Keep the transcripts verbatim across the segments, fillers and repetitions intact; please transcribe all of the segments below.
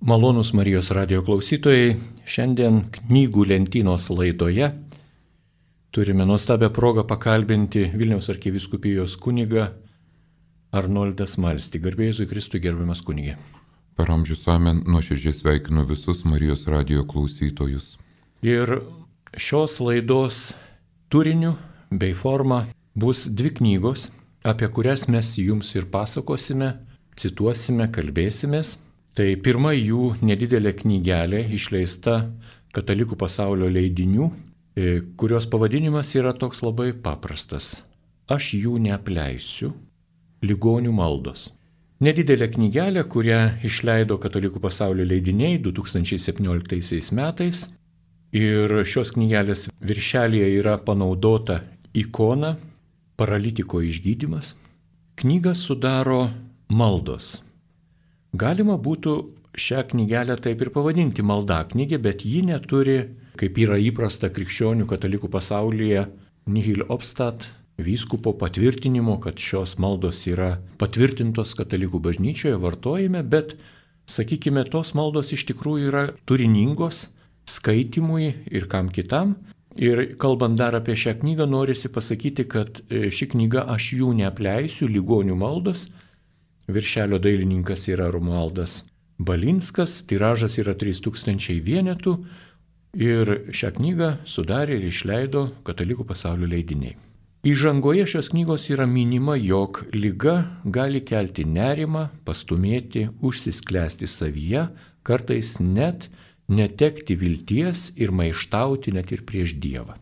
Malonūs Marijos radio klausytojai, šiandien knygų lentynos laidoje turime nuostabią progą pakalbinti Vilniaus arkivyskupijos kunigą Arnoldą Smalstį. Garbė Jėzui Kristui, gerbiamas kunigė. Per amžius amen, nuoširdžiai sveikinu visus Marijos radio klausytojus. Ir šios laidos turiniu bei forma bus dvi knygos, apie kurias mes jums ir pasakosime, cituosime, kalbėsimės. Tai pirma jų nedidelė knygelė išleista Katalikų pasaulio leidinių, kurios pavadinimas yra toks labai paprastas. Aš jų neapleisiu. Ligonių maldos. Nedidelė knygelė, kurią išleido Katalikų pasaulio leidiniai du tūkstančiai septynioliktaisiais metais. Ir šios knygelės viršelyje yra panaudota ikona paralitiko išgydymas. Knygą sudaro maldos. Galima būtų šią knygelę taip ir pavadinti maldaknygė, bet ji neturi, kaip yra įprasta krikščionių katalikų pasaulyje, nihil obstat vyskupo patvirtinimo, kad šios maldos yra patvirtintos katalikų bažnyčioje vartojime, bet, sakykime, tos maldos iš tikrųjų yra turiningos skaitimui ir kam kitam. Ir kalbant dar apie šią knygą, norisi pasakyti, kad ši knyga Aš jų neapleisiu, ligonių maldos. Viršelio dailininkas yra Romualdas Balinskas, tiražas yra trys tūkstančiai vienetų ir šią knygą sudarė ir išleido Katalikų pasaulio leidiniai. Įžangoje šios knygos yra minima, jog liga gali kelti nerimą, pastumėti, užsisklęsti savyje, kartais net netekti vilties ir maištauti net ir prieš Dievą.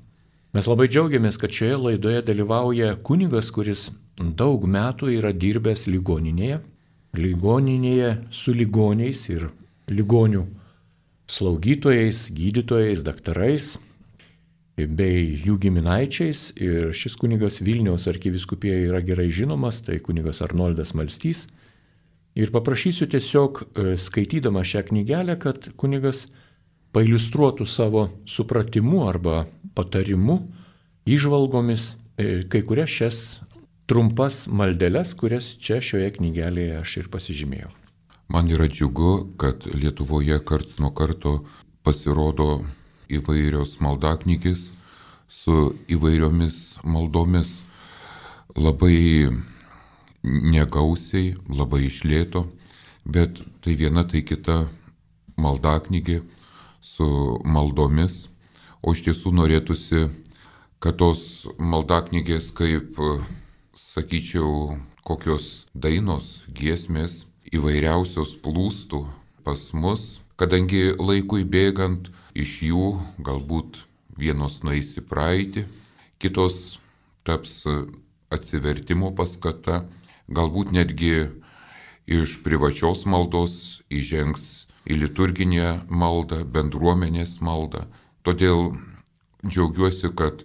Mes labai džiaugiamės, kad šioje laidoje dalyvauja kunigas, kuris daug metų yra dirbęs ligoninėje, ligoninėje su ligoniais ir ligonių slaugytojais, gydytojais, daktarais bei jų giminaičiais. Ir šis kunigas Vilniaus arkivyskupijoje yra gerai žinomas, tai kunigas Arnoldas Smalstys. Ir paprašysiu tiesiog, skaitydama šią knygelę, kad kunigas pailiustruotų savo supratimu arba patarimu, įžvalgomis kai kurias šias trumpas maldeles, kurias čia šioje knygelėje aš ir pasižymėjau. Man yra džiugu, kad Lietuvoje karts nuo karto pasirodo įvairios maldaknygės su įvairiomis maldomis, labai negausiai, labai išlėto, bet tai viena, tai kita maldaknygė su maldomis, o iš tiesų norėtųsi, kad tos maldaknygės kaip, sakyčiau, kokios dainos, giesmės įvairiausios plūstų pas mus, kadangi laikui bėgant iš jų galbūt vienos nueis į praeitį, kitos taps atsivertimo paskata, galbūt netgi iš privačios maldos įžengs į liturginę maldą, bendruomenės maldą. Todėl džiaugiuosi, kad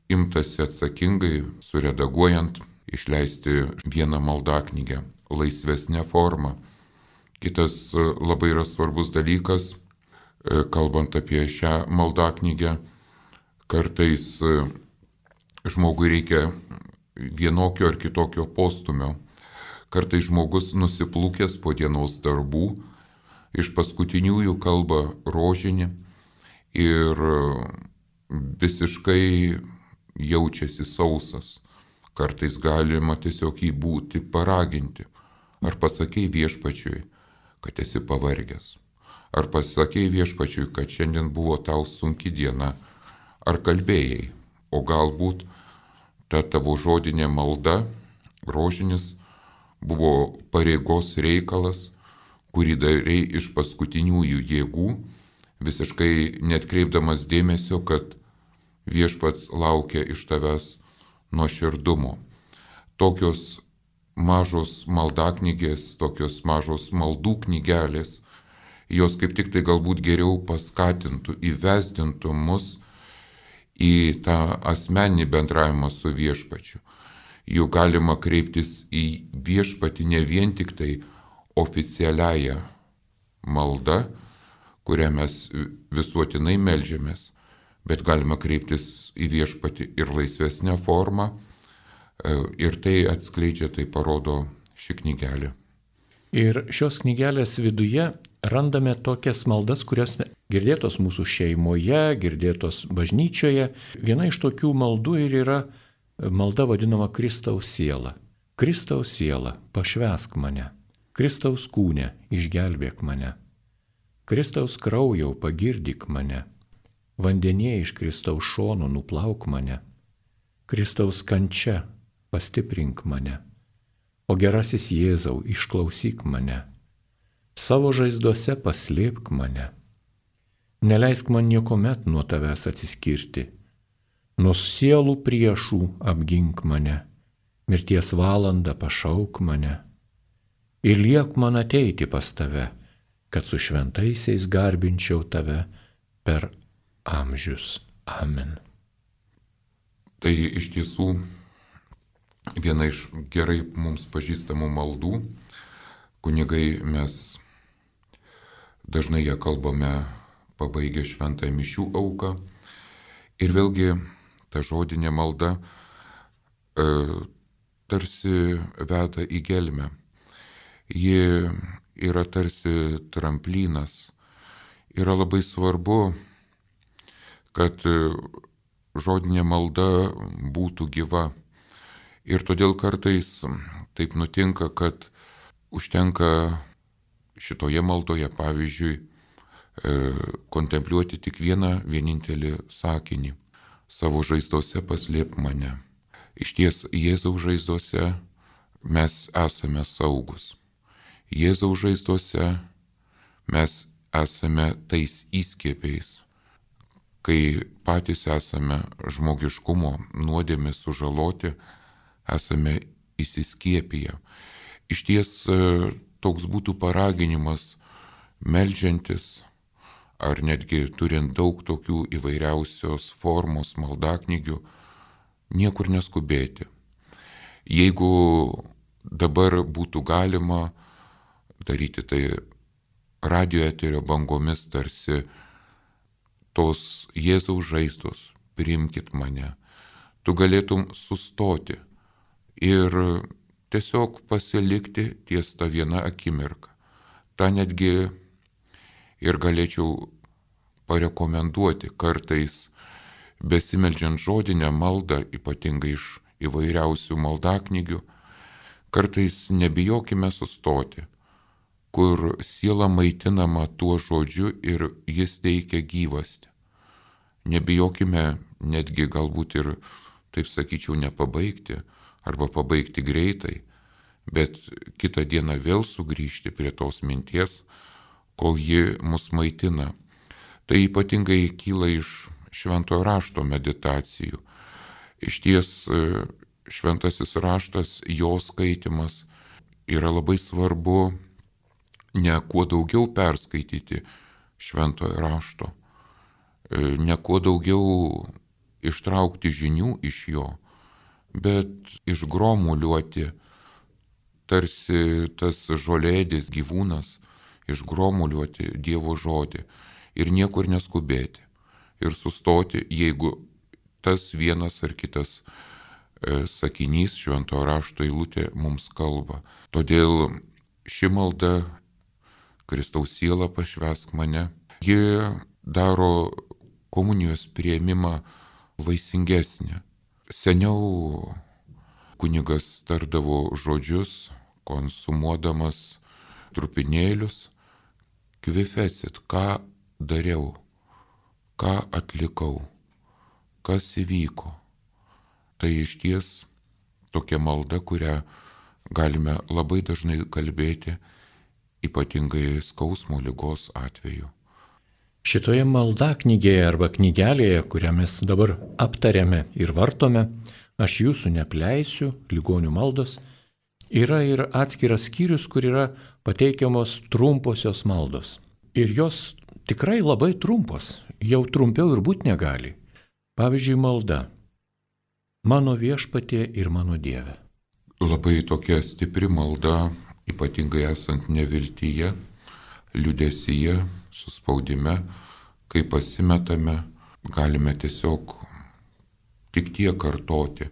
imtasi atsakingai, suredaguojant, išleisti vieną maldaknygę laisvesnę formą. Kitas labai yra svarbus dalykas, kalbant apie šią maldaknygę, kartais žmogui reikia vienokio ar kitokio postumio. Kartais žmogus nusiplūkęs po dienos darbų, iš paskutiniųjų kalba rožinį ir visiškai jaučiasi sausas. Kartais galima tiesiog jį būti paraginti. Ar pasakei viešpačiui, kad esi pavargęs? Ar pasakei viešpačiui, kad šiandien buvo tau sunki diena? Ar kalbėjai? O galbūt ta tavo žodinė malda, rožinis, buvo pareigos reikalas, kurį darei iš paskutiniųjų jėgų, visiškai netkreipdamas dėmesio, kad viešpats laukia iš tavęs nuoširdumo. Tokios mažos maldaknygės, tokios mažos maldų knygelės, jos kaip tik tai galbūt geriau paskatintų, įvesdintų mus į tą asmeninį bendravimą su viešpačiu. Juk galima kreiptis į viešpatį ne vien tik tai oficialiąją maldą, kurią mes visuotinai meldžiamės, bet galima kreiptis į viešpatį ir laisvesnę formą, ir tai atskleidžia, tai parodo ši knygelė. Ir šios knygelės viduje randame tokias maldas, kurios girdėtos mūsų šeimoje, girdėtos bažnyčioje. Viena iš tokių maldų ir yra malda vadinama Kristaus siela. Kristaus siela, pašvęsk mane. Kristaus kūne, išgelbėk mane. Kristaus kraujau, pagirdyk mane. Vandenyje iš Kristaus šonų nuplauk mane. Kristaus kančia, pastiprink mane. O gerasis Jėzau, išklausyk mane. Savo žaizdose paslėpk mane. Neleisk man niekuomet nuo tavęs atsiskirti. Nuo sielų priešų apgink mane. Mirties valandą pašauk mane. Ir liek man ateiti pas tave, kad su šventaisiais garbinčiau tave per amžius. Amen. Tai iš tiesų viena iš gerai mums pažįstamų maldų. Kunigai mes dažnai ją kalbame pabaigę šventąją mišių auką. Ir vėlgi ta žodinė malda e, tarsi veda į gelmę. Ji yra tarsi tramplinas. Yra labai svarbu, kad žodinė malda būtų gyva. Ir todėl kartais taip nutinka, kad užtenka šitoje maldoje, pavyzdžiui, kontempliuoti tik vieną vienintelį sakinį. Savo žaizdose paslėpk mane. Iš ties Jėzaus žaizdose mes esame saugus. Jėzaus žaizdose mes esame tais įskiepiais, kai patys esame žmogiškumo nuodėmės sužaloti, esame įsiskiepiję. Iš ties toks būtų paraginimas meldžiantis, ar netgi turint daug tokių įvairiausios formos maldaknygių, niekur neskubėti. Jeigu dabar būtų galima daryti tai radio eterio bangomis, tarsi tos Jėzaus žaizdos, priimkit mane, tu galėtum sustoti ir tiesiog pasilikti ties tą vieną akimirką. Ta netgi ir galėčiau parekomenduoti kartais, besimeldžiant žodinę maldą, ypatingai iš įvairiausių maldaknygių, kartais nebijokime sustoti, kur siela maitinama tuo žodžiu ir jis teikia gyvastį. Nebijokime netgi galbūt ir, taip sakyčiau, nepabaigti arba pabaigti greitai, bet kitą dieną vėl sugrįžti prie tos minties, kol ji mus maitina. Tai ypatingai kyla iš šventojo rašto meditacijų. Iš ties šventasis raštas, jo skaitimas yra labai svarbu ne kuo daugiau perskaityti šventojo rašto, ne kuo daugiau ištraukti žinių iš jo, bet išgromuliuoti tarsi tas žolėdis gyvūnas, išgromuliuoti Dievo žodį ir niekur neskubėti ir sustoti, jeigu tas vienas ar kitas e, sakinys šventojo rašto eilutė mums kalba. Todėl ši malda, Kristaus siela pašvęsk mane, ji daro komunijos priėmimą vaisingesnį. Seniau kunigas tardavo žodžius, konsumuodamas trupinėlius, kvifecit, ką dariau, ką atlikau, kas įvyko. Tai iš ties tokia malda, kurią galime labai dažnai kalbėti, ypatingai skausmo ligos atveju. Šitoje maldaknygėje arba knygelėje, kurią mes dabar aptarėme ir vartome, aš jūsų neapleisiu, ligonių maldos, yra ir atskiras skyrius, kur yra pateikiamos trumposios maldos. Ir jos tikrai labai trumpos, jau trumpiau ir būt negali. Pavyzdžiui, malda. Mano viešpatie ir mano Dieve. Labai tokia stipri malda, ypatingai esant neviltyje, liūdesyje, suspaudime, kai pasimetame, galime tiesiog tik tiek kartoti.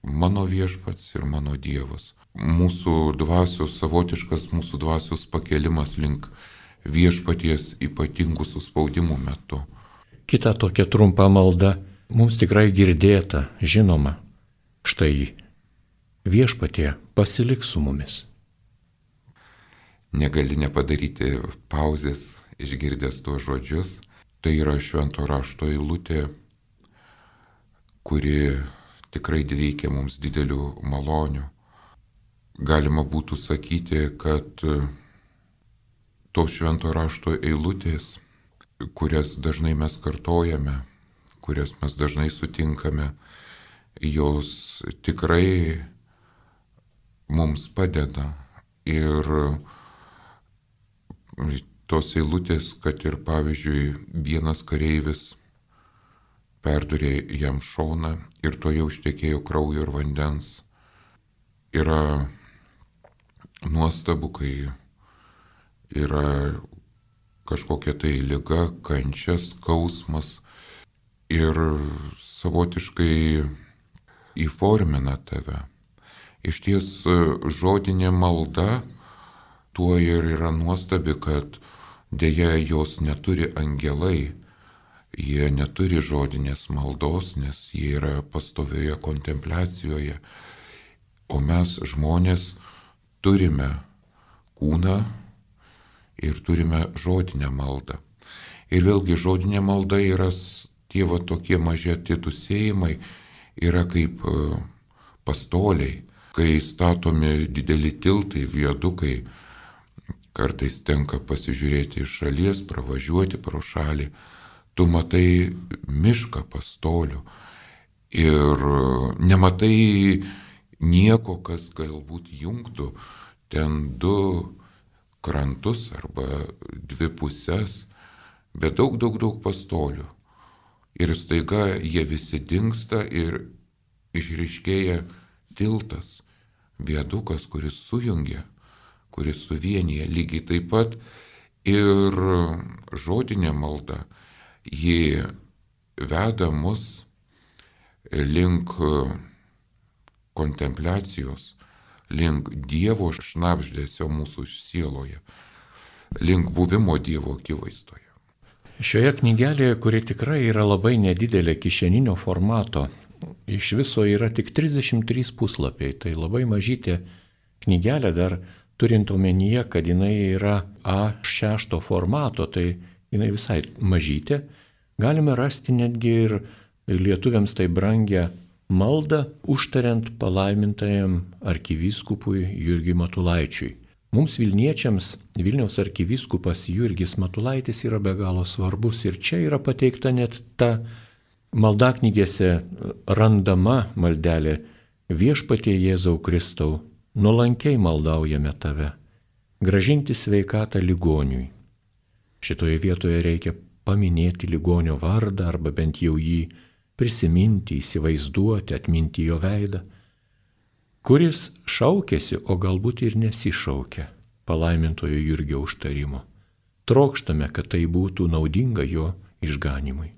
Mano viešpats ir mano Dievas. Mūsų dvasios, savotiškas mūsų dvasios pakelimas link viešpaties ypatingų suspaudimų metu. Kita tokia trumpa malda, mums tikrai girdėta, žinoma, štai viešpatie pasilik su mumis. Negali nepadaryti pauzės, išgirdęs tuos žodžius. Tai yra švento rašto eilutė, kuri tikrai teikia mums didelių malonių. Galima būtų sakyti, kad tos švento rašto eilutės, kurias dažnai mes kartojame, kurias mes dažnai sutinkame, jos tikrai mums padeda. Ir tos eilutės, kad ir pavyzdžiui vienas kareivis perdurė jam šoną ir to jau ištekėjo kraujo ir vandens. Yra nuostabu, kai yra kažkokia tai liga, kančia, skausmas ir savotiškai įformina tave. Iš ties žodinė malda tuo ir yra nuostabi, kad dėja jos neturi angelai, jie neturi žodinės maldos, nes jie yra pastovioje kontempliacijoje, o mes žmonės turime kūną ir turime žodinę maldą. Ir vėlgi žodinė malda yra tie va tokie maži atitusėjimai, yra kaip pastoliai, kai statomi dideli tiltai, viadukai, kartais tenka pasižiūrėti iš šalies, pravažiuoti pro šalį, tu matai mišką pastolių ir nematai nieko, kas galbūt jungtų ten du krantus arba dvi pusės, bet daug, daug, daug pastolių. Ir staiga jie visi dingsta ir išryškėja tiltas, viadukas, kuris sujungia, kuris suvienyje. Lygiai taip pat ir žodinė malda, ji veda mus link kontempliacijos, link Dievo šnabždesio mūsų sieloje, link buvimo Dievo akivaizdoje. Šioje knygelėje, kuri tikrai yra labai nedidelė kišeninio formato, iš viso yra tik trisdešimt trys puslapiai, tai labai mažytė knygelė, dar turint omenyje, kad jinai yra A šešto formato, tai jinai visai mažytė, galime rasti netgi ir lietuviams tai brangią maldą užtariant palaimintajam arkivyskupui Jurgiui Matulaičiui. Mums Vilniečiams Vilniaus arkivyskupas Jurgis Matulaitis yra be galo svarbus ir čia yra pateikta net ta maldaknygėse randama maldelė: Viešpatie Jėzau Kristau, nuolankiai maldaujame tave, grąžinti sveikatą ligoniui. Šitoje vietoje reikia paminėti ligonio vardą arba bent jau jį prisiminti, įsivaizduoti, atminti jo veidą, kuris šaukėsi, o galbūt ir nesišaukė palaimintojo Jurgio užtarimo. Trokštame, kad tai būtų naudinga jo išganimui.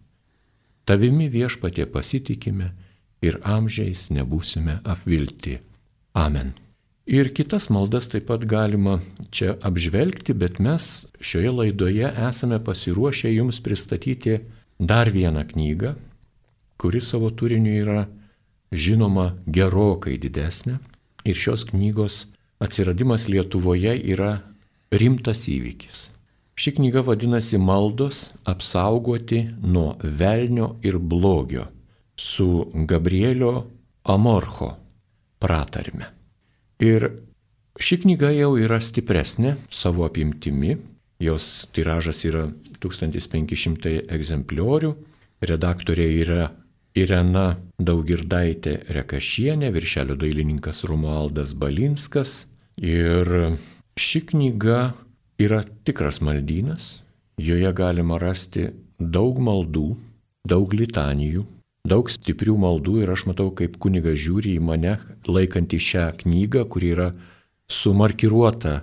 Tavimi Viešpatie pasitikime ir amžiais nebūsime apvilti. Amen. Ir kitas maldas taip pat galima čia apžvelgti, bet mes šioje laidoje esame pasiruošę jums pristatyti dar vieną knygą, kuri savo turiniu yra žinoma gerokai didesnė. Ir šios knygos atsiradimas Lietuvoje yra rimtas įvykis. Ši knyga vadinasi Maldos apsaugoti nuo velnio ir blogio su Gabrielio Amorcho pratarme. Ir ši knyga jau yra stipresnė savo apimtimi, jos tiražas yra tūkstantis penki šimtai egzempliorių, redaktorė yra Irena Daugirdaitė Rekašienė, viršelio dailininkas Romualdas Balinskas. Ir ši knyga yra tikras maldynas, joje galima rasti daug maldų, daug litanijų, daug stiprių maldų ir aš matau, kaip kunigas žiūri į mane, laikantį šią knygą, kuri yra sumarkiruota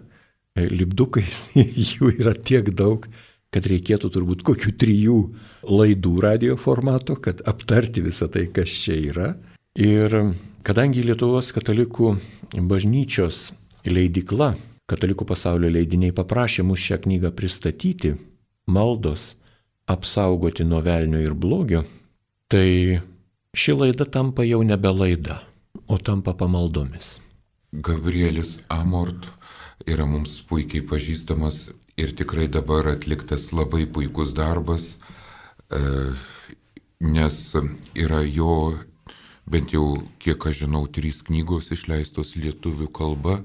lipdukais, jų yra tiek daug, kad reikėtų turbūt kokių trijų laidų radio formato, kad aptarti visą tai, kas čia yra. Ir kadangi Lietuvos katalikų bažnyčios leidykla Katalikų pasaulio leidiniai paprašė mus šią knygą pristatyti, maldos apsaugoti nuo velnio ir blogio, tai ši laida tampa jau nebe laida, o tampa pamaldomis. Gabrielis Amort yra mums puikiai pažįstamas ir tikrai dabar atliktas labai puikus darbas, nes yra jo, bent jau kiek aš žinau, trys knygos išleistos lietuvių kalba.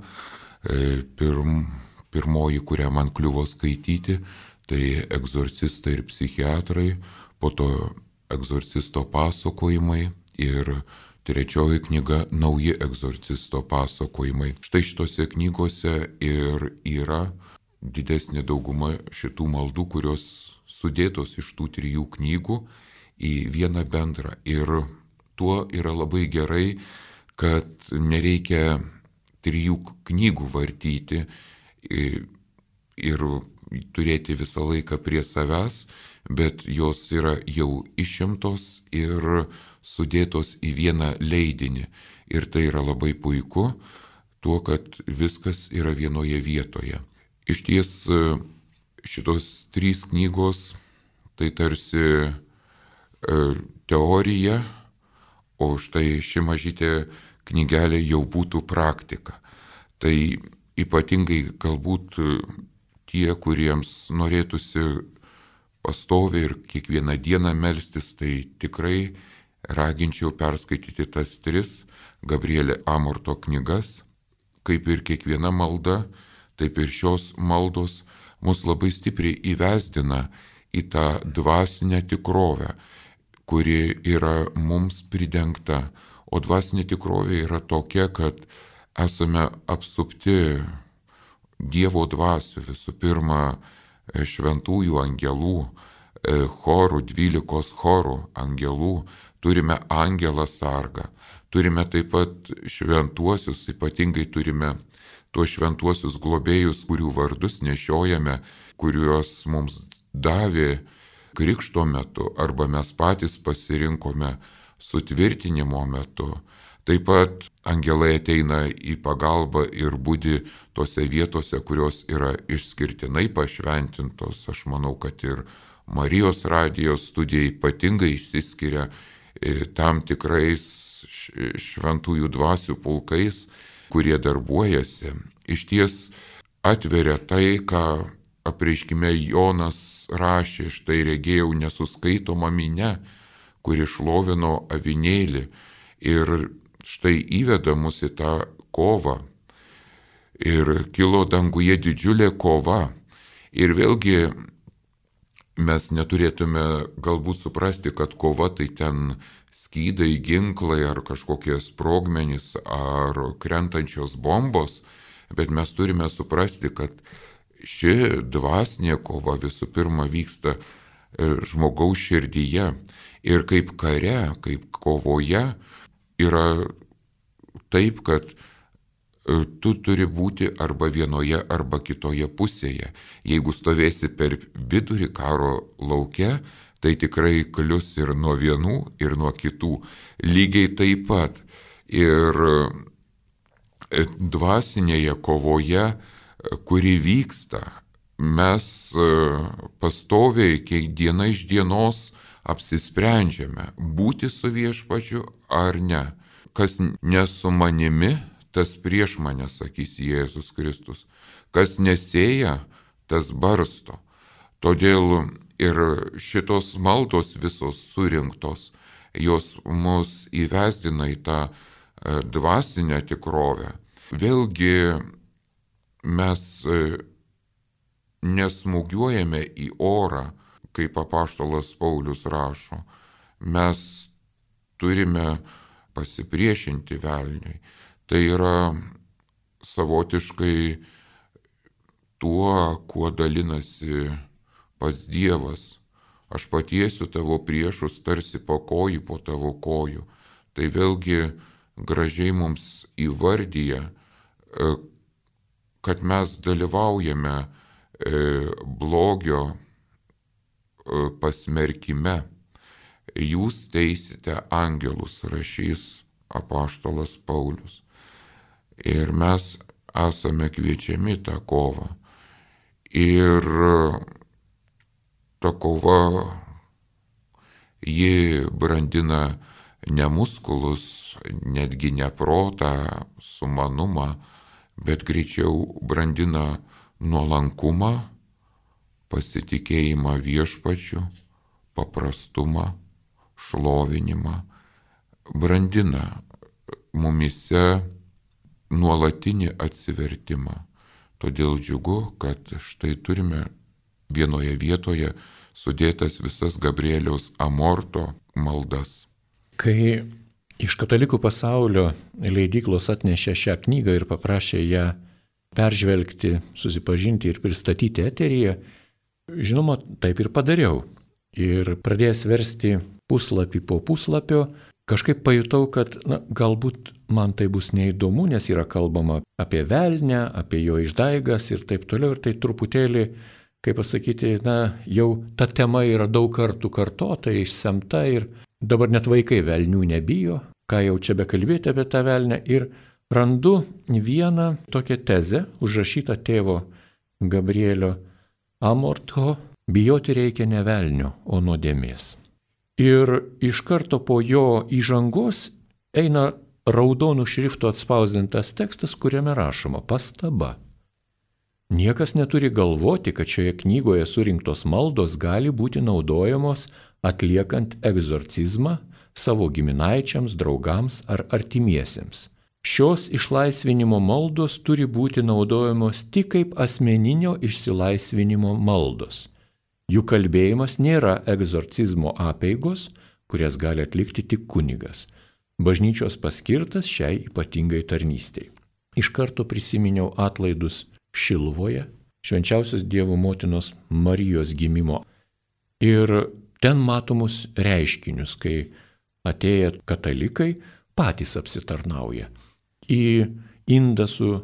Pirm, pirmoji, kurią man kliuvo skaityti, tai Egzorcistai ir psichiatrai, po to Egzorcisto pasakojimai ir trečioji knyga Nauji egzorcisto pasakojimai. Štai šitose knygose ir yra didesnė dauguma šitų maldų, kurios sudėtos iš tų trijų knygų į vieną bendrą. Ir tuo yra labai gerai, kad nereikia trijų knygų vartyti ir turėti visą laiką prie savęs, bet jos yra jau išimtos ir sudėtos į vieną leidinį. Ir tai yra labai puiku, tuo, kad viskas yra vienoje vietoje. Iš ties šitos trys knygos tai tarsi teorija, o štai ši mažytė knygelė jau būtų praktika. Tai ypatingai galbūt tie, kuriems norėtųsi pastoviai ir kiekvieną dieną melstis, tai tikrai raginčiau perskaityti tas tris Gabrielio Amorto knygas. Kaip ir kiekviena malda, taip ir šios maldos mus labai stipriai įvesdina į tą dvasinę tikrovę, kuri yra mums pridengta. O dvasinė tikrovė yra tokia, kad esame apsupti Dievo dvasių, visų pirma šventųjų angelų, chorų, dvylikos chorų angelų, turime angelą sargą, turime taip pat šventuosius, ypatingai turime tuos šventuosius globėjus, kurių vardus nešiojame, kuriuos mums davė krikšto metu arba mes patys pasirinkome sutvirtinimo metu. Taip pat angelai ateina į pagalbą ir budi tose vietose, kurios yra išskirtinai pašventintos. Aš manau, kad ir Marijos radijos studija ypatingai išsiskiria tam tikrais šventųjų dvasių pulkais, kurie darbuojasi. Iš ties atveria tai, ką apreiškime Jonas rašė, štai regėjau nesuskaitomą minią, kuri šlovino avinėlį ir štai įveda mus į tą kovą. Ir kilo danguje didžiulė kova. Ir vėlgi mes neturėtume galbūt suprasti, kad kova tai ten skydai, ginklai ar kažkokie sprogmenys ar krentančios bombos, bet mes turime suprasti, kad ši dvasinė kova visų pirma vyksta žmogaus širdyje. Ir kaip kare, kaip kovoje yra taip, kad tu turi būti arba vienoje, arba kitoje pusėje. Jeigu stovėsi per vidurį karo lauke, tai tikrai klius ir nuo vienų, ir nuo kitų. Lygiai taip pat ir dvasinėje kovoje, kuri vyksta, mes pastoviai, kiek diena iš dienos apsisprendžiame būti su viešpačiu ar ne. Kas ne su manimi, tas prieš mane, sakys Jėzus Kristus. Kas nesėja, tas barsto. Todėl ir šitos maldos visos surinktos, jos mus įvesdina į tą dvasinę tikrovę. Vėlgi mes nesmūgiuojame į orą, kaip apaštalas Paulius rašo. Mes turime pasipriešinti velniui. Tai yra savotiškai tuo, kuo dalinasi pats Dievas. Aš patiesiu tavo priešus tarsi po kojų po tavo kojų. Tai vėlgi gražiai mums įvardyja, kad mes dalyvaujame blogio pasmerkime. Jūs teisite angelus, rašys apaštalas Paulius. Ir mes esame kviečiami tą kovą. Ir ta kova, ji brandina ne muskulus, netgi ne protą, sumanumą, bet greičiau brandina nuolankumą, pasitikėjimą viešpačiu, paprastumą, šlovinimą, brandina mumise nuolatinį atsivertimą. Todėl džiugu, kad štai turime vienoje vietoje sudėtas visas Gabrieliaus Amorto maldas. Kai iš katalikų pasaulio leidyklos atnešė šią knygą ir paprašė ją peržvelgti, susipažinti ir pristatyti eteryje, žinoma, taip ir padariau. Ir pradėjęs versti puslapį po puslapio, kažkaip pajutau, kad na, galbūt man tai bus neįdomu, nes yra kalbama apie velnę, apie jo išdaigas ir taip toliau. Ir tai truputėlį, kaip pasakyti, na, jau ta tema yra daug kartų kartota, išsemta ir dabar net vaikai velnių nebijo, ką jau čia bekalbėti apie tą velnę. Ir randu vieną tokią tezę, užrašytą tėvo Gabrielio Amorto: bijoti reikia ne velnio, o nuodėmės. Ir iš karto po jo įžangos eina raudonų šriftų atspausdintas tekstas, kuriame rašoma pastaba. Niekas neturi galvoti, kad šioje knygoje surinktos maldos gali būti naudojamos atliekant egzorcizmą savo giminaičiams, draugams ar artimiesiems. Šios išlaisvinimo maldos turi būti naudojamos tik kaip asmeninio išsilaisvinimo maldos. Jų kalbėjimas nėra egzorcizmo apeigos, kurias gali atlikti tik kunigas, bažnyčios paskirtas šiai ypatingai tarnystei. Iš karto prisiminiau atlaidus Šiluvoje, švenčiausios Dievo motinos Marijos gimimo. Ir ten matomus reiškinius, kai atėję katalikai patys apsitarnauja. Į indą su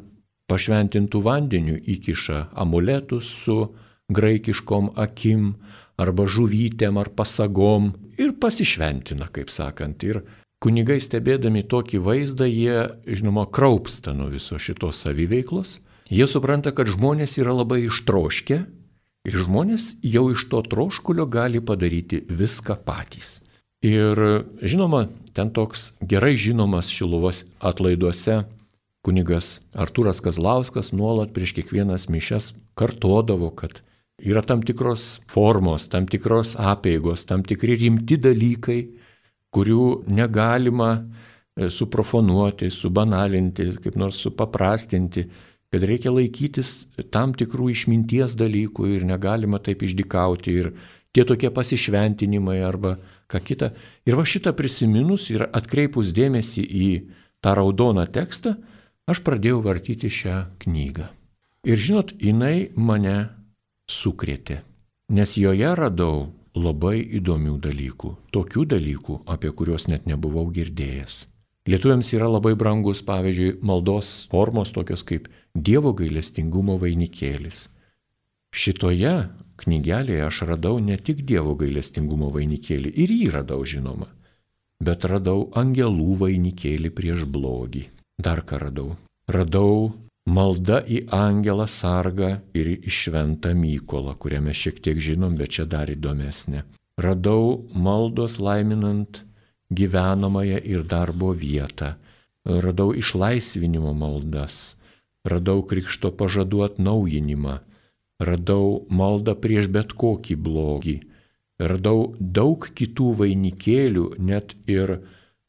pašventintų vandeniu įkiša amuletus su graikiškom akim, arba žuvytėm, ar pasagom ir pasišventina, kaip sakant. Ir kunigai stebėdami tokį vaizdą, jie, žinoma, kraupsta nuo viso šitos saviveiklos. Jie supranta, kad žmonės yra labai ištroškę ir žmonės jau iš to troškulio gali padaryti viską patys. Ir, žinoma, ten toks gerai žinomas Šiluvos atlaiduose kunigas Artūras Kazlauskas nuolat prieš kiekvienas mišias kartodavo, kad yra tam tikros formos, tam tikros apeigos, tam tikri rimti dalykai, kurių negalima suprofanuoti, subanalinti, kaip nors supaprastinti, kad reikia laikytis tam tikrų išminties dalykų ir negalima taip išdykauti ir tie tokie pasišventinimai arba ką kita. Ir va šitą prisiminus ir atkreipus dėmesį į tą raudoną tekstą, aš pradėjau vartyti šią knygą. Ir žinot, jinai mane sukrėtė, nes joje radau labai įdomių dalykų, tokių dalykų, apie kuriuos net nebuvau girdėjęs. Lietuviams yra labai brangus, pavyzdžiui, maldos formos tokios kaip Dievo gailestingumo vainikėlis. Šitoje knygelėje aš radau ne tik Dievo gailestingumo vainikėlį, ir jį radau, žinoma, bet radau angelų vainikėlį prieš blogį. Dar ką radau? Radau malda į angelą sargą ir į šventą Mykolą, kurią mes šiek tiek žinom, bet čia dar įdomesnė. Radau maldos laiminant gyvenamąją ir darbo vietą. Radau išlaisvinimo maldas. Radau krikšto pažadų atnaujinimą. Radau maldą prieš bet kokį blogį. Radau daug kitų vainikėlių, net ir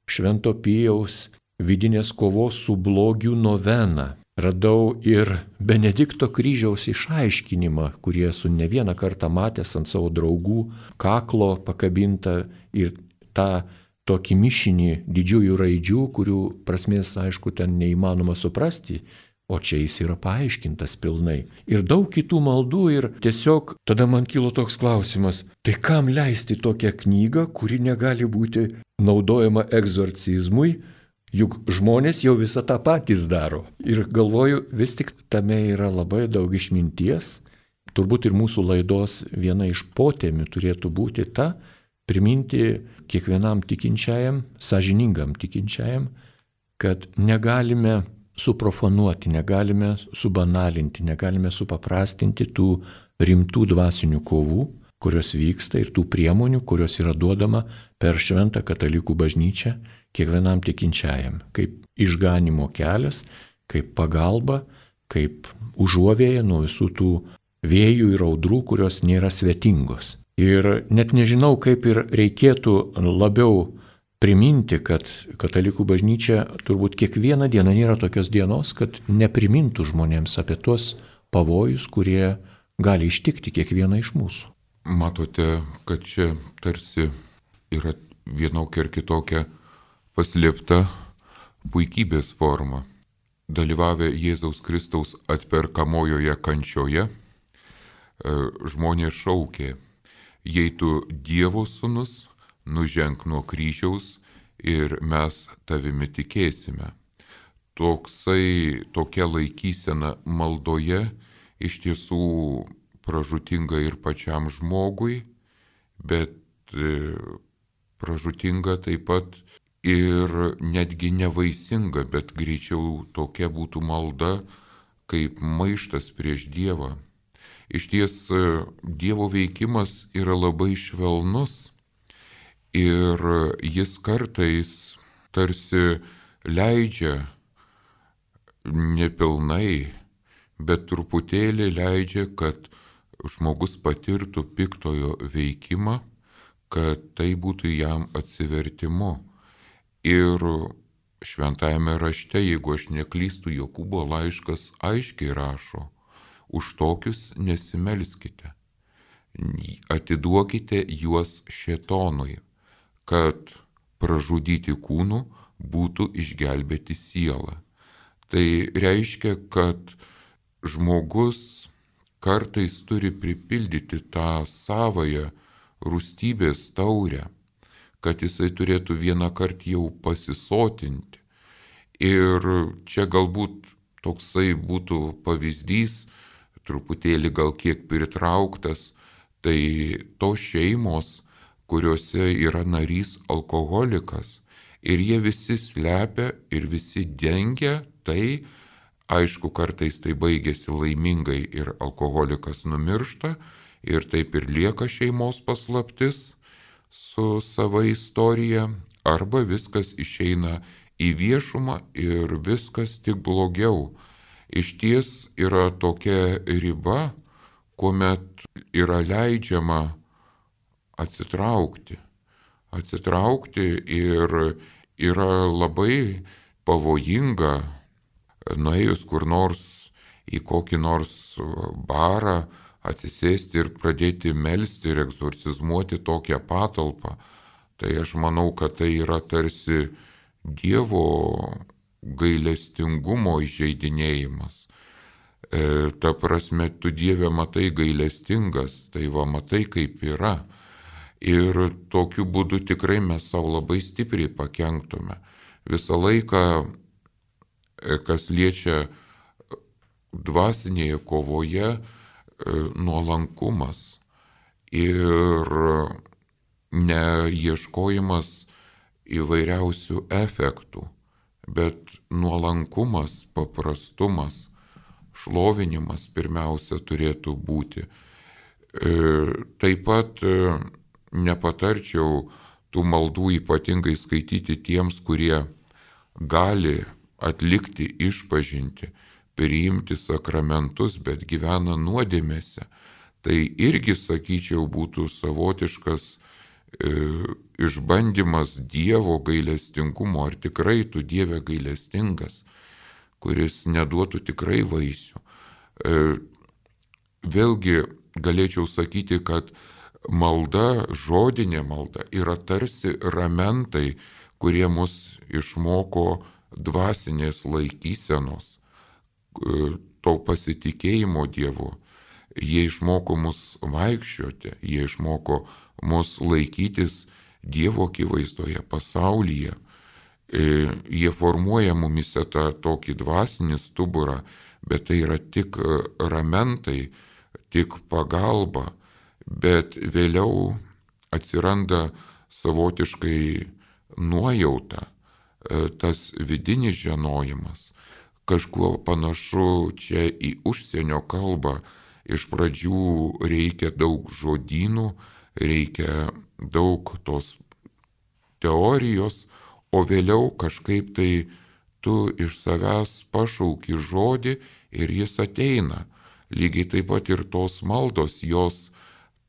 Švento Pijaus vidinės kovos su blogiu noveną. Radau ir Benedikto kryžiaus išaiškinimą, kurį esu ne vieną kartą matęs ant savo draugų kaklo pakabintą, ir tą tokį mišinį didžiųjų raidžių, kurių prasmės, aišku, ten neįmanoma suprasti, o čia jis yra paaiškintas pilnai. Ir daug kitų maldų, ir tiesiog tada man kilo toks klausimas, tai kam leisti tokią knygą, kuri negali būti naudojama egzorcizmui, juk žmonės jau visą tą patys daro. Ir galvoju, vis tik tame yra labai daug išminties. Turbūt ir mūsų laidos viena iš potemių turėtų būti ta, priminti kiekvienam tikinčiajam, sąžiningam tikinčiajam, kad negalime suprofanuoti, negalime subanalinti, negalime supaprastinti tų rimtų dvasinių kovų, kurios vyksta ir tų priemonių, kurios yra duodama per šventą katalikų bažnyčią kiekvienam tikinčiajam, kaip išganimo kelias, kaip pagalba, kaip užuovėja nuo visų tų vėjų ir audrų, kurios nėra svetingos. Ir net nežinau, kaip ir reikėtų labiau priminti, kad katalikų bažnyčia turbūt kiekvieną dieną nėra tokios dienos, kad neprimintų žmonėms apie tuos pavojus, kurie gali ištikti kiekvieną iš mūsų. Matote, kad čia tarsi yra vienokia ir kitokia paslėpta puikybės forma. Dalyvavę Jėzaus Kristaus atperkamojoje kančioje, žmonės šaukė: jei tu Dievo sūnus, nuženk nuo kryžiaus ir mes tavimi tikėsime. Toksai, tokia laikysena maldoje iš tiesų pražūtinga ir pačiam žmogui, bet pražūtinga taip pat ir netgi nevaisinga, bet greičiau tokia būtų malda kaip maištas prieš Dievą. Iš ties Dievo veikimas yra labai švelnus ir jis kartais tarsi leidžia nepilnai, bet truputėlį leidžia, kad žmogus patirtų piktojo veikimą, kad tai būtų jam atsivertimu. Ir šventajame rašte, jeigu aš neklystu, Jokūbo laiškas aiškiai rašo: už tokius nesimelskite, atiduokite juos šėtonui, kad pražudyti kūnų būtų išgelbėti sielą. Tai reiškia, kad žmogus kartais turi pripildyti tą savąją rūstybės taurę, kad jisai turėtų vieną kartą jau pasisotinti. Ir čia galbūt toksai būtų pavyzdys, truputėlį gal kiek pritrauktas, tai tos šeimos, kuriuose yra narys alkoholikas, ir jie visi slepia ir visi dengia tai. Aišku, kartais tai baigėsi laimingai ir alkoholikas numiršta ir taip ir lieka šeimos paslaptis su sava istorija, arba viskas išeina į viešumą ir viskas tik blogiau. Iš ties yra tokia riba, kuomet yra leidžiama atsitraukti. Atsitraukti ir yra labai pavojinga, nuėjus kur nors į kokį nors barą, atsisėsti ir pradėti melsti ir egzorcizmuoti tokią patalpą. Tai aš manau, kad tai yra tarsi Dievo gailestingumo įžeidinėjimas. E, ta prasme, tu Dieve matai gailestingas, tai va matai kaip yra. Ir tokiu būdu tikrai mes savo labai stipriai pakenktume. Visą laiką, kas liečia dvasinėje kovoje, nuolankumas ir neieškojimas įvairiausių efektų, bet nuolankumas, paprastumas, šlovinimas pirmiausia turėtų būti. Taip pat nepatarčiau tų maldų ypatingai skaityti tiems, kurie gali atlikti išpažintį, priimti sakramentus, bet gyvena nuodėmėse. Tai irgi, sakyčiau, būtų savotiškas e, išbandymas Dievo gailestingumo, ar tikrai tu Dieve gailestingas, kuris neduotų tikrai vaisių. E, vėlgi galėčiau sakyti, kad malda, žodinė malda yra tarsi ramentai, kurie mus išmoko dvasinės laikysenos, to pasitikėjimo Dievu. Jie išmoko mus vaikščioti, jie išmoko mus laikytis Dievo akivaizdoje, pasaulyje. Jie formuoja mumise tą tokį dvasinį stuburą, bet tai yra tik ramentai, tik pagalba, bet vėliau atsiranda savotiškai nuojauta, tas vidinis žinojimas, kažkuo panašu čia į užsienio kalbą. Iš pradžių reikia daug žodynų, reikia daug tos teorijos, o vėliau kažkaip tai tu iš savęs pašauki žodį ir jis ateina. Lygiai taip pat ir tos maldos, jos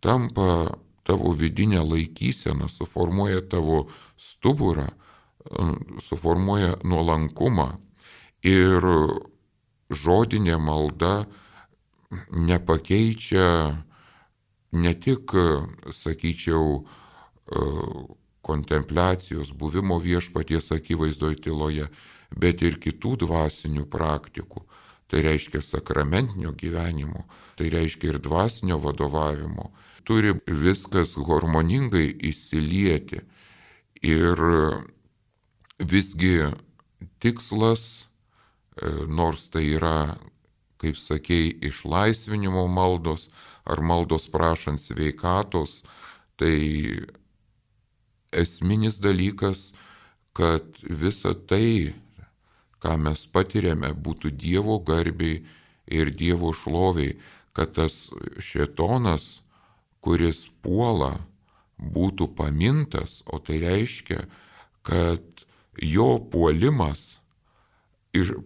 tampa tavo vidinę laikyseną, suformuoja tavo stuburą, suformuoja nuolankumą. Ir žodinė malda nepakeičia ne tik, sakyčiau, kontempliacijos, buvimo viešpaties akivaizdoje tyloje, bet ir kitų dvasinių praktikų. Tai reiškia sakramentinio gyvenimo, tai reiškia ir dvasinio vadovavimo. Turi viskas harmoningai įsilieti. Ir visgi tikslas, nors tai yra, kaip sakei, išlaisvinimo maldos ar maldos prašant sveikatos, tai esminis dalykas, kad visa tai, ką mes patiriame, būtų Dievo garbiai ir Dievo šloviai, kad tas šėtonas, kuris puola, būtų pamintas, o tai reiškia, kad jo puolimas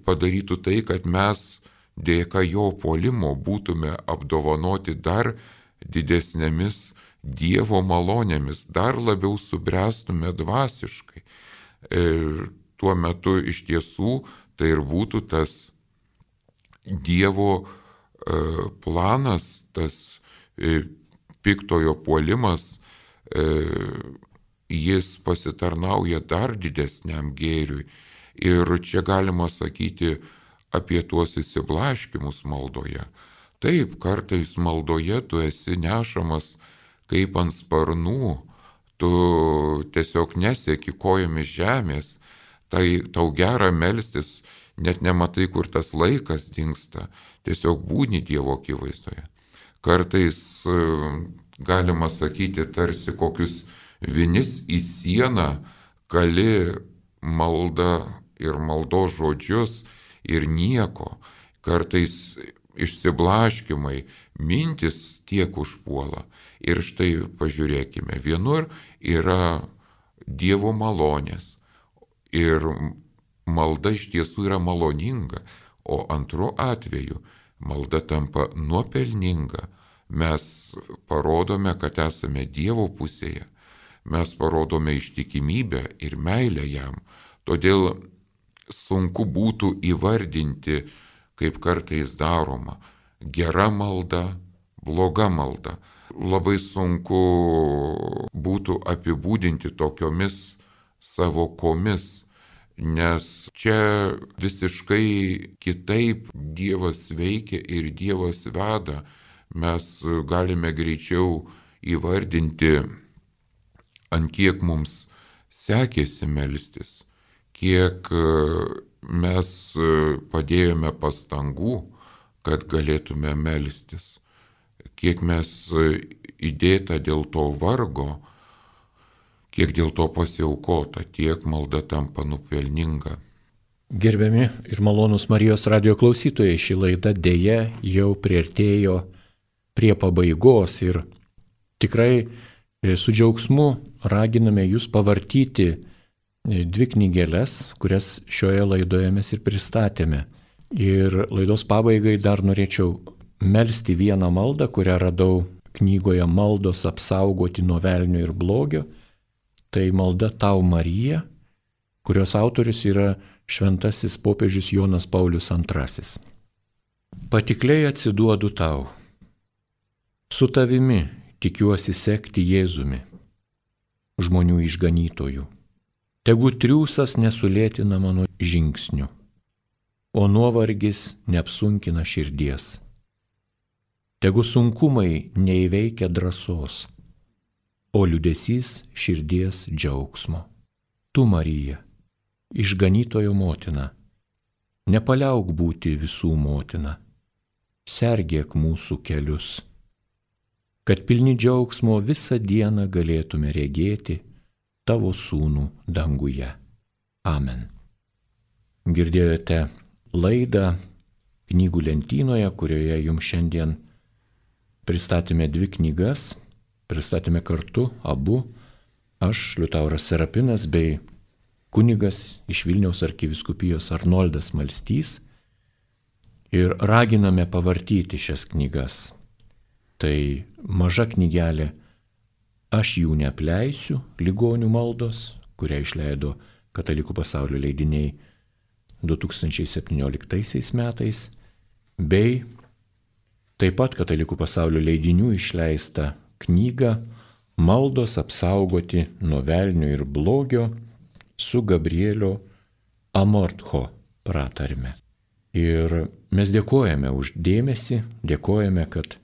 padarytų tai, kad mes dėka jo puolimo būtume apdovanoti dar didesnėmis Dievo malonėmis, dar labiau subręstume dvasiškai. Ir tuo metu iš tiesų tai ir būtų tas Dievo planas, tas piktojo puolimas, jis pasitarnauja dar didesniam gėriui. Ir čia galima sakyti apie tuos įsiblaškimus maldoje. Taip, kartais maldoje tu esi nešamas kaip ant sparnų, tu tiesiog nesieki kojomis žemės, tai tau gera melstis, net nematai, kur tas laikas dingsta, tiesiog būni Dievo akivaizdoje. Kartais galima sakyti, tarsi kokius vinis į sieną kali maldą ir maldos žodžius ir nieko. Kartais išsiblaškimai, mintis tiek užpuola. Ir štai pažiūrėkime, vienur yra Dievo malonės ir malda iš tiesų yra maloninga, o antru atveju malda tampa nuopelninga. Mes parodome, kad esame Dievo pusėje, mes parodome ištikimybę ir meilę jam. Todėl sunku būtų įvardinti, kaip kartais daroma, gera malda, bloga malda. Labai sunku būtų apibūdinti tokiomis savokomis, nes čia visiškai kitaip Dievas veikia ir Dievas veda. Mes galime greičiau įvardinti, ant kiek mums sekėsi melstis, kiek mes padėjome pastangų, kad galėtume melstis, kiek mes įdėta dėl to vargo, kiek dėl to pasiaukota, tiek malda tampa nupelninga. Gerbiami ir malonūs Marijos radijo klausytojai, ši laida dėja jau priartėjo prie pabaigos ir tikrai su džiaugsmu raginame jūs pavartyti dvi knygeles, kurias šioje laidoje mes ir pristatėme. Ir laidos pabaigai dar norėčiau melsti vieną maldą, kurią radau knygoje Maldos apsaugoti nuo velnio ir blogio. Tai malda Tau Marija, kurios autorius yra šventasis popiežius Jonas Paulius antrasis. Patikliai atsiduodu tau. Su tavimi tikiuosi sekti Jėzumi, žmonių išganytojų. Tegu triūsas nesulėtina mano žingsnių, o nuovargis neapsunkina širdies. Tegu sunkumai neįveikia drąsos, o liūdesys širdies džiaugsmo. Tu, Marija, išganytojo motina, nepaliauk būti visų motina, sergėk mūsų kelius, kad pilni džiaugsmo visą dieną galėtume regėti tavo sūnų danguje. Amen. Girdėjote laidą knygų lentynoje, kurioje jums šiandien pristatėme dvi knygas, pristatėme kartu abu, aš, Liutauras Serapinas, bei kunigas iš Vilniaus arkivyskupijos Arnoldas Malstys, ir raginame pavartyti šias knygas. Tai maža knygelė Aš jų neapleisiu, ligonių maldos, kurią išleido Katalikų pasaulio leidiniai du tūkstančiai septynioliktaisiais metais, bei taip pat Katalikų pasaulio leidinių išleista knyga Maldos apsaugoti nuo velnio ir blogio su Gabrielio Amortho pratarme. Ir mes dėkojame už dėmesį, dėkojame, kad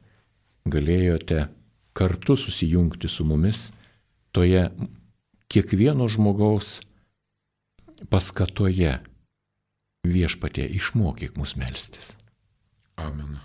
galėjote kartu susijungti su mumis toje kiekvieno žmogaus paskatoje. Viešpatie, išmokyk mus melstis. Amen.